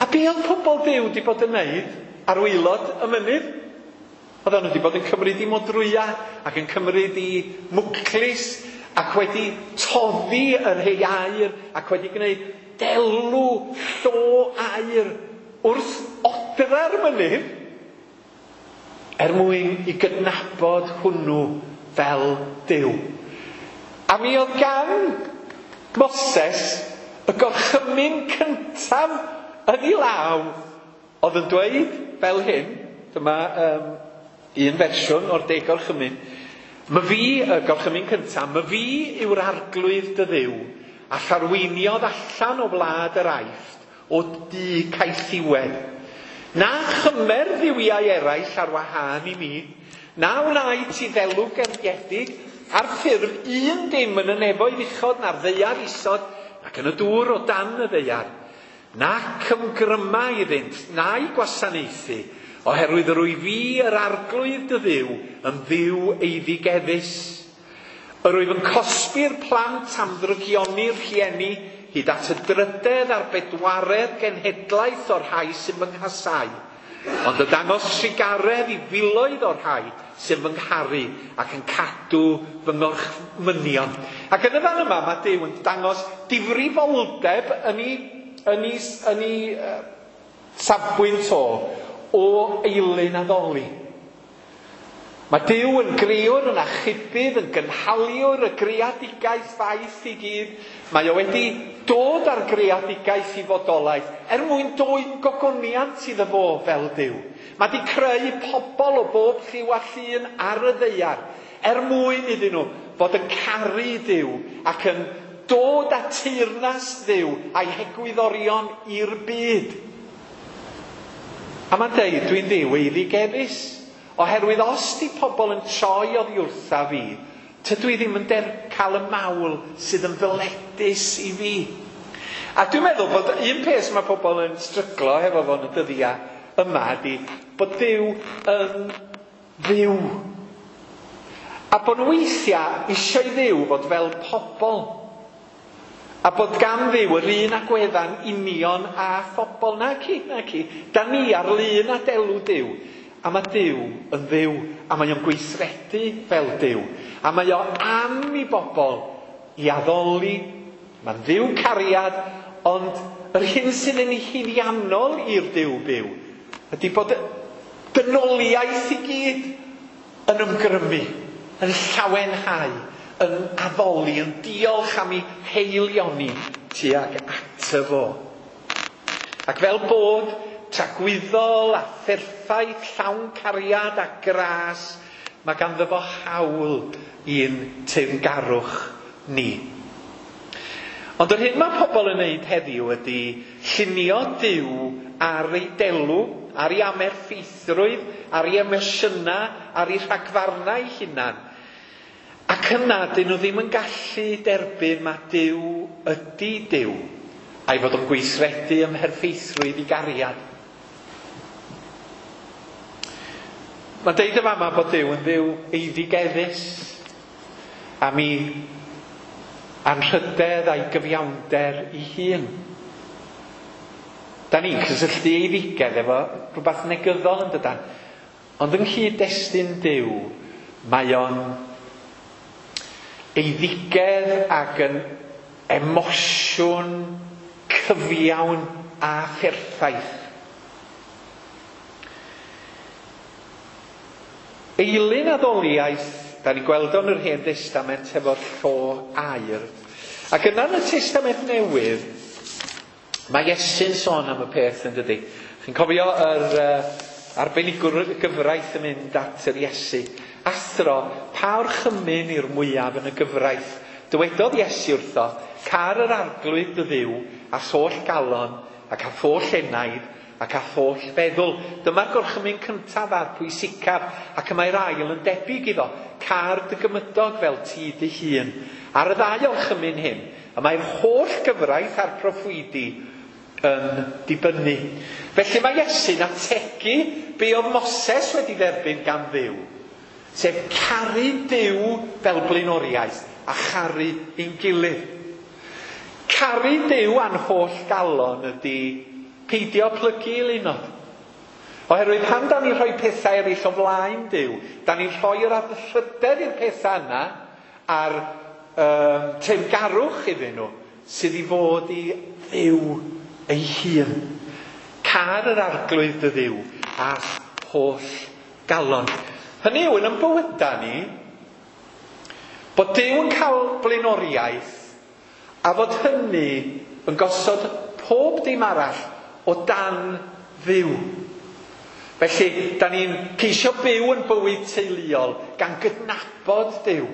A be oedd pobl Duw wedi bod yn neud ar waelod y mynydd? Oedden nhw wedi bod yn cymryd i modrwya ac yn cymryd i mwclis ac wedi toddi yr hei aur ac wedi gwneud delw llo aur wrth odra'r mynydd er mwyn i gydnabod hwnnw fel Duw. A mi oedd gan Moses y gorchymyn cyntaf yn ei law oedd yn dweud fel hyn, dyma um, un fersiwn o'r deg gorchymyn, my fi, y gorchymyn cyntaf, my fi yw'r arglwydd dy Dduw, a charweiniodd allan o wlad yr Aifft o dŷ caethiwed. Na chymer dduwiau eraill ar wahân i mi, na wnai ti ddelw gerfiedig ar ffurf un dim yn y nefoedd uchod na'r ddaear isod, ac yn y dŵr o dan y ddaear. Nac ymgryma iddynt, na'i gwasanaethu, oherwydd yr wyf fi yr arglwydd dy Dduw yn Dduw eiddigeddus. Yr wyf yn cosbi'r plant am ddrygioni'r rhieni, hyd at y drydedd a'r bedwaredd genhedlaeth o'r rhai sy'n fy nghasau, ond y dangos trugaredd i filoedd o'r rhai sy'n fy ngharu ac yn cadw fy ngorchmynion. Ac yn y fan yma mae Duw yn dangos difrifoldeb yn ei, yn ei, yn ei uh, safbwynt o, o eilun addoli. Mae Duw yn greawr, yn achubydd, yn gynhaliwr y greadigaeth faith i gyd. Mae o wedi dod â'r greadigaeth i fodolaeth er mwyn dwyn gogoniant iddo fo fel Duw. Mae wedi creu pobl o bob lliw a llun ar y ddaear er mwyn iddyn nhw fod yn caru Duw ac yn dod â teyrnas Dduw a'i hegwyddorion i'r byd. A mae'n deud, dwi'n Dduw eiddigeddus. Oherwydd os di pobl yn troi oddi wrtha fi, tydw i ddim yn der cael y mawl sydd yn ddyledus i fi. A dwi'n meddwl bod un peth mae pobl yn stryglo hefo fo yn y dyddiau yma ydy bod Duw yn Dduw. A bod nhw weithiau eisiau i Dduw fod fel pobl. A bod gan Dduw yr un agwedda'n union â phobl. Naci, naci. Da ni ar lun a delw Duw. A mae Duw yn Dduw, a mae o'n gweithredu fel Duw. A mae o am i bobl i addoli. Mae'n Dduw cariad, ond yr hyn sydd yn haeddiannol i'r Duw byw ydy bod dynoliaeth i gyd yn ymgrymu, yn llawenhau, yn addoli, yn diolch am ei heilioni tuag ato fo. Ac fel bod tragwyddol a pherffaith, llawn cariad a gras, mae ganddo fo hawl i'n teyrngarwch ni. Ond yr hyn mae pobl yn wneud heddiw ydy llunio Duw ar ei delw, ar ei amerffeithrwydd, ar ei emosiynau, ar ei rhagfarnau ei hunan. Ac yna, dyn nhw ddim yn gallu derbyn mae Duw ydy Duw, a'i fod yn gweithredu ym mherffeithrwydd i gariad. Mae'n deud y fama bod Duw yn Dduw eiddigeddus am ei anrhydedd a'i gyfiawnder ei hun. Da ni'n cysylltu eiddigedd efo rhywbeth negyddol yn dydan. Ond yng nghyd-destun Duw, mae o'n eiddigedd ac yn emosiwn cyfiawn a pherffaith. Eilun addoliaeth, da ni'n gweld o'n yr Hen Testament efo'r llo aur. Ac yna yn y Testament Newydd, mae Iesu'n sôn am y peth yn dydi. Chi'n cofio yr uh, arbenigwr y gyfraith yn mynd at yr Iesu. Athro, pa orchymyn i'r mwyaf yn y gyfraith? Dywedodd Iesu wrtho, car yr arglwydd dy Dduw a holl galon ac a holl enaid ac a holl feddwl. Dyma'r gorchymyn cyntaf a'r pwysicaf, ac y mae'r ail yn debyg iddo. Car dy gymydog fel ti dy hun. Ar y ddau orchymyn hyn, y mae'r holl gyfraith a'r proffwydi yn dibynnu. Felly mae Iesu'n ategu be oedd Moses wedi dderbyn gan Dduw, sef caru Duw fel blaenoriaeth a charu ein gilydd. Caru Duw a'n holl galon ydy peidio plygu i lunod. Oherwydd pan da ni'n rhoi pethau eraill o flaen Duw, da ni'n rhoi'r anrhydedd i'r pethau yna a'r um, teyrngarwch iddyn nhw sydd i fod i Dduw ei hun. Car yr arglwydd dy Dduw a holl galon. Hynny yw, yn ein bywydau ni, bod Duw yn cael blaenoriaeth a fod hynny yn gosod pob dim arall o dan Dduw. Felly, da ni'n ceisio byw yn bywyd teuluol gan gydnabod Duw.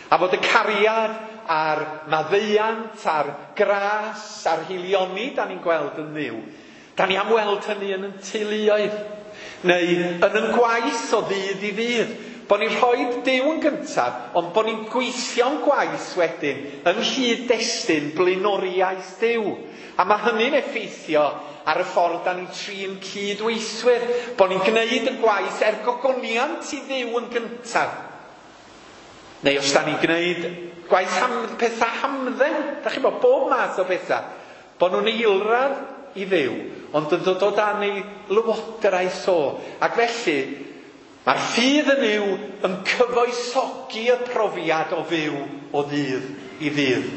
A fod y cariad a'r maddeuant a'r gras a'r hilioni da ni'n gweld yn Dduw, da ni am weld hynny yn ein teuluoedd, neu yn ein gwaith o ddydd i ddydd, Bo ni'n rhoi Duw yn gyntaf, ond bo ni'n gweithio'n gwaith wedyn yn nghyd-destun blaenoriaeth Duw. A mae hynny'n effeithio ar y ffordd da ni'n trin cydweithwyr, bo ni'n gwneud y gwaith er gogoniant i Dduw yn gyntaf. Neu os da ni'n gwneud gwaith ham, pethau hamdden, da chi'n bod bob math o bethau, bo nhw'n eilradd i Dduw, ond yn dod o dan ei lywodraeth o. Ac felly, mae'r ffydd yn Nuw yn cyfoethogi y profiad o fyw o ddydd i ddydd.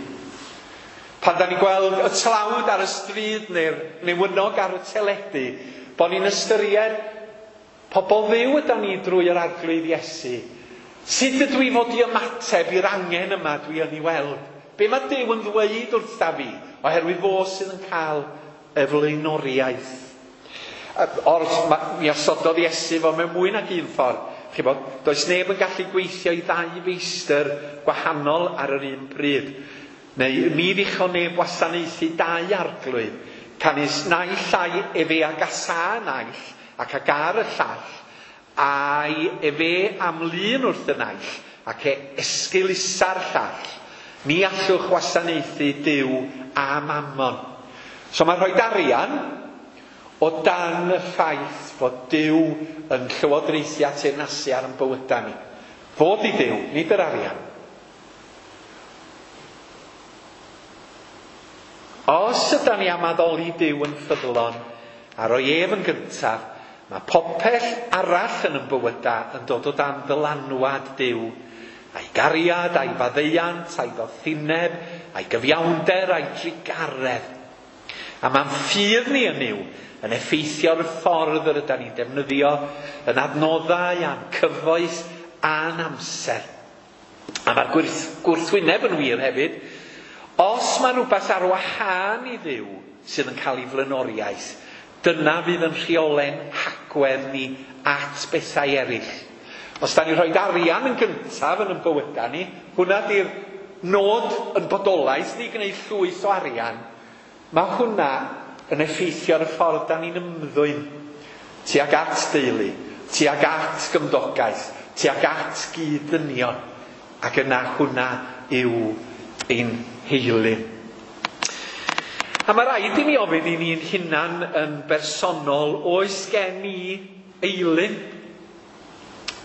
Pan da ni'n gweld y tlawd ar y stryd neu'r newynog ar y teledu, bo ni'n ystyried pobl Dduw ydan ni drwy yr Arglwydd Iesu. Sut ydw i fod i ymateb i'r angen yma dwi yn ei weld? Be mae Duw yn ddweud wrtha fi? Oherwydd fo sydd yn cael y flaenoriaeth. Or, mi osododd Iesu fo mewn mwy nag un ffordd. Chi bod, does neb yn gallu gweithio i ddau feistr gwahanol ar yr un pryd. Neu mi ddichon neb wasanaethu dau arglwydd, canys naill ai efe a gasa naill ac a gar y llall, ai efe am lun wrth y naill ac e esgeulusa'r llall. Ni allwch wasanaethu Duw a Mammon. So mae rhoi arian o dan y ffaith fod Duw yn llywodraethu a teyrnasu ar ein bywydau ni. Fod i Dduw, nid yr arian. Os ydan ni am addoli Duw yn ffyddlon a roi ef yn gyntaf, mae popeth arall yn ein bywydau yn dod o dan ddylanwad Duw, a'i gariad, a'i faddeuant, a'i ddoethineb, a'i gyfiawnder, a'i drugaredd. A mae'n ffydd ni yn Nuw yn effeithio'r ffordd yr ydan ni'n defnyddio yn adnoddau a'n cyfoeth a'n amser. A mae'r gwrth, gwrthwyneb yn wir hefyd. Os mae rhywbeth ar wahân i Dduw sydd yn cael ei flaenoriaeth, dyna fydd yn rheolen hagwedd ni at bethau eraill. Os da ni'n rhoi arian yn gyntaf yn ein bywydau ni, hwnna di'r nod yn bodolaeth ni gwneud llwyth o arian, mae hwnna yn effeithio ar y ffordd da ni'n ymddwyn tuag at deulu, tuag at gymdogaeth, tuag at gyd-ddynion, ac yna hwnna yw ein heilyn. A mae rhaid i ni ofyn i ni'n hunan yn bersonol, oes gen i eilyn?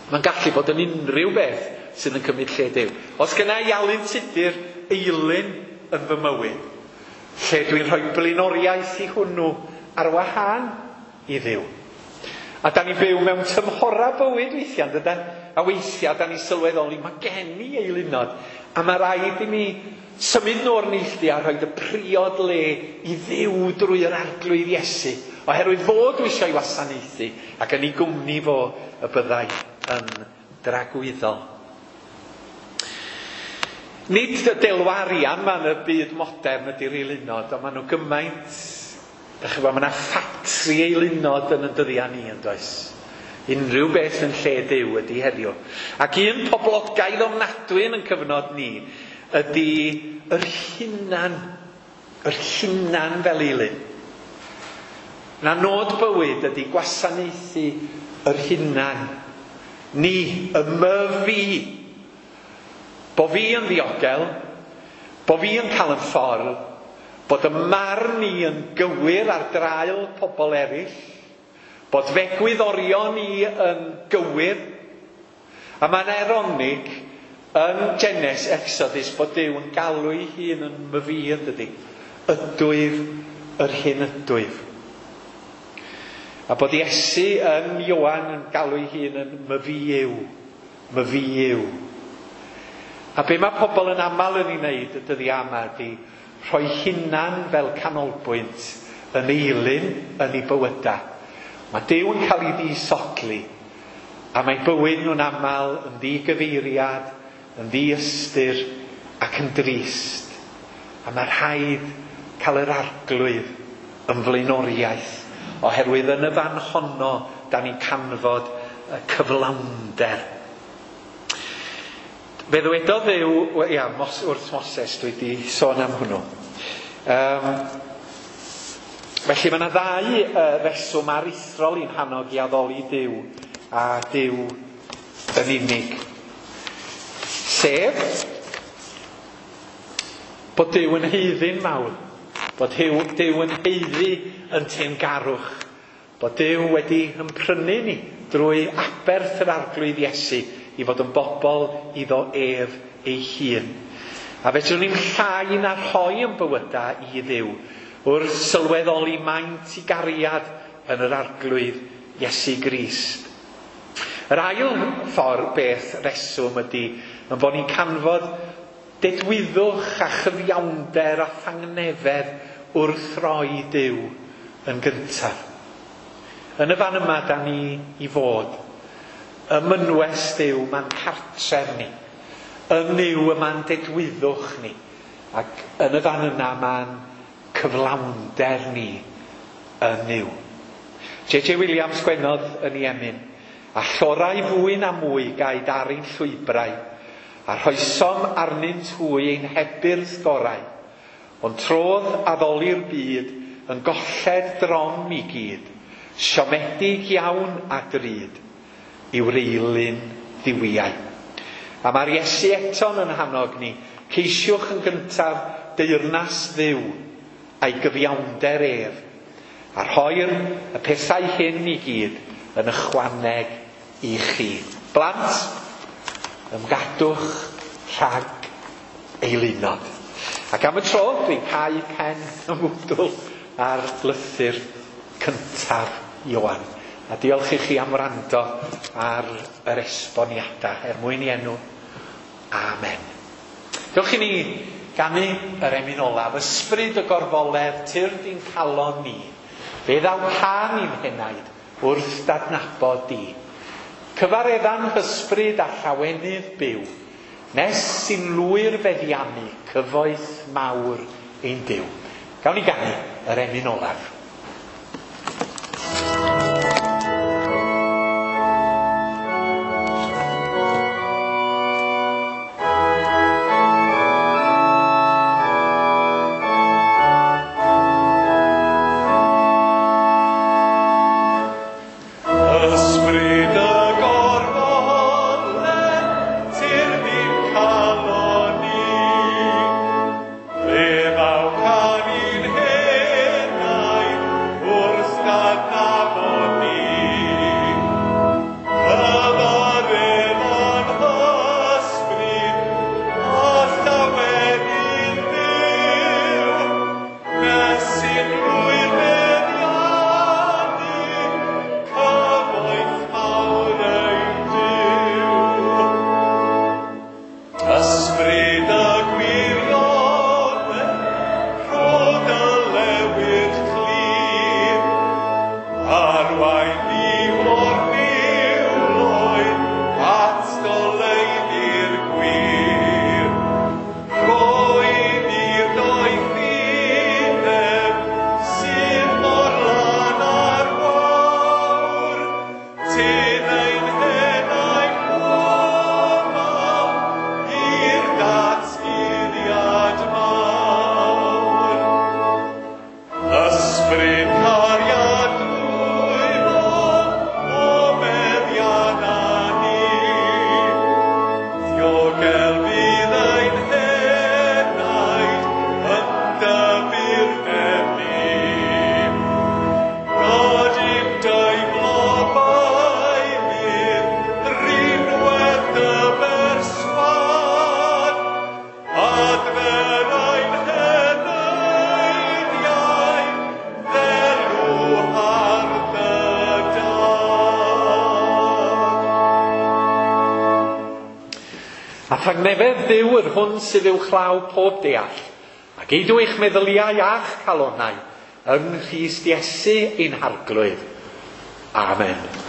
Mae'n gallu bod yn unrhyw beth sydd yn cymryd lle Duw. Os genna i Alun Tudur eilyn yn fy mywyd, lle dwi'n rhoi blaenoriaeth i hwnnw ar wahân i Dduw. A da ni'n byw mewn tymhora bywyd weithiau, dydan? A weithiau da ni'n sylweddoli, mae gen i eilunod. A mae rhaid i mi symud nhw o'r neilltu a rhoi y priod le i Dduw drwy yr Arglwydd Iesu. Oherwydd fo dwi eisiau ei wasanaethu ac yn ei gwmni fo y byddai yn dragwyddol. Nid y delw arian ma yn y byd modern ydy'r eilunod, ond maen nhw gymaint, dach chi'n gwbod, mae yna ffatri eilunod yn y dyddiau ni, yn does? Unrhyw beth yn lle Duw ydy heddiw. Ac un poblogaidd ofnadwy yn ein cyfnod ni ydy yr hunan, yr hunan fel eilun. Na nod bywyd ydy gwasanaethu yr hunan. Ni, y myfi. Bo fi yn ddiogel, bo fi yn cael yn ffordd, bod y marn i yn gywir ar draul pobl eraill, bod fegwyddorion i yn gywir. A mae'n eironig yn Genesis Exodus bod Duw yn galw ei hun yn myfi, yn dydi? Ydwyf yr hyn ydwyf. A bod Iesu yn Ioan yn galw ei hun yn myfi yw, myfi yw. A be mae pobl yn aml yn ei wneud y dyddiau yma ydy rhoi hunan fel canolbwynt yn eilun yn ei bywydau. Mae Duw yn cael ei ddisodli a mae bywyd nhw'n aml yn ddigyfeiriad, yn ddiystyr ac yn drist. A mae rhaid cael yr Arglwydd yn flaenoriaeth, oherwydd yn y fan honno da ni'n canfod y cyflawnder. Fe ddywedodd Dduw, ia, Mos, wrth Moses, dwi wedi sôn am hwnnw. Um, felly mae yna ddau uh, reswm aruthrol i'n hannog i addoli Duw a Duw yn unig. Sef, bod Duw yn haeddu'n mawr, bod Duw yn haeddu yn teyrngarwch, bod Duw wedi ymprynu ni drwy aberth yr Arglwydd Iesu i fod yn bobl iddo ef ei hun. A fedrwn ni'n llai na rhoi yn bywydau i Dduw wrth sylweddoli maint i gariad yn yr Arglwydd Iesu Grist. Yr ail ffordd beth reswm ydy yn bod ni'n canfod dedwyddwch a chyfiawnder a thangnefedd wrth roi Duw yn gyntaf. Yn y fan yma da ni i fod. Ym mynwes Duw ma'n cartref ni. Yn Nuw y ma'n dedwyddwch ni. Ac yn y fan yna ma'n cyflawnder ni yn Nuw. J J Williams gwenodd yn ei emyn, a llorau fwy na mwy gaed ar ein llwybrau, a rhoesom arnynt hwy ein hebyrdd gorau, ond trodd addoli'r byd yn golled drom i gyd, siomedig iawn a drud, i'w reilyn dduwiau. A mae'r Iesu eto'n yn hannog ni, ceisiwch yn gyntaf deyrnas Dduw a'i gyfiawnder ef, a rhoi'r y pethau hyn i gyd yn ychwaneg i chi. Blant, ymgadwch rhag eilunod. Ac am y tro, dwi'n cau pen y mwdwl ar lythyr cyntaf Ioan. A diolch i chi am wrando ar yr esboniadau er mwyn i enw. Amen. Diolch i ni ganu yr emyn olaf, ysbryd y gorfoledd, tyrd i'n calon ni. Fe ddaw can i'n henaid wrth dadnabod di. Cyfaredda'n hysbryd a llawenydd byw, nes sy'n lwyr feddiannu cyfoeth mawr ein Duw. Gawn ni ganu yr emyn olaf. A thangnefedd Dduw yr hwn sydd uwchlaw pob deall, ac eidw eich meddyliau a'ch calonau yng Nghrist Iesu ein Harglwydd. Amen.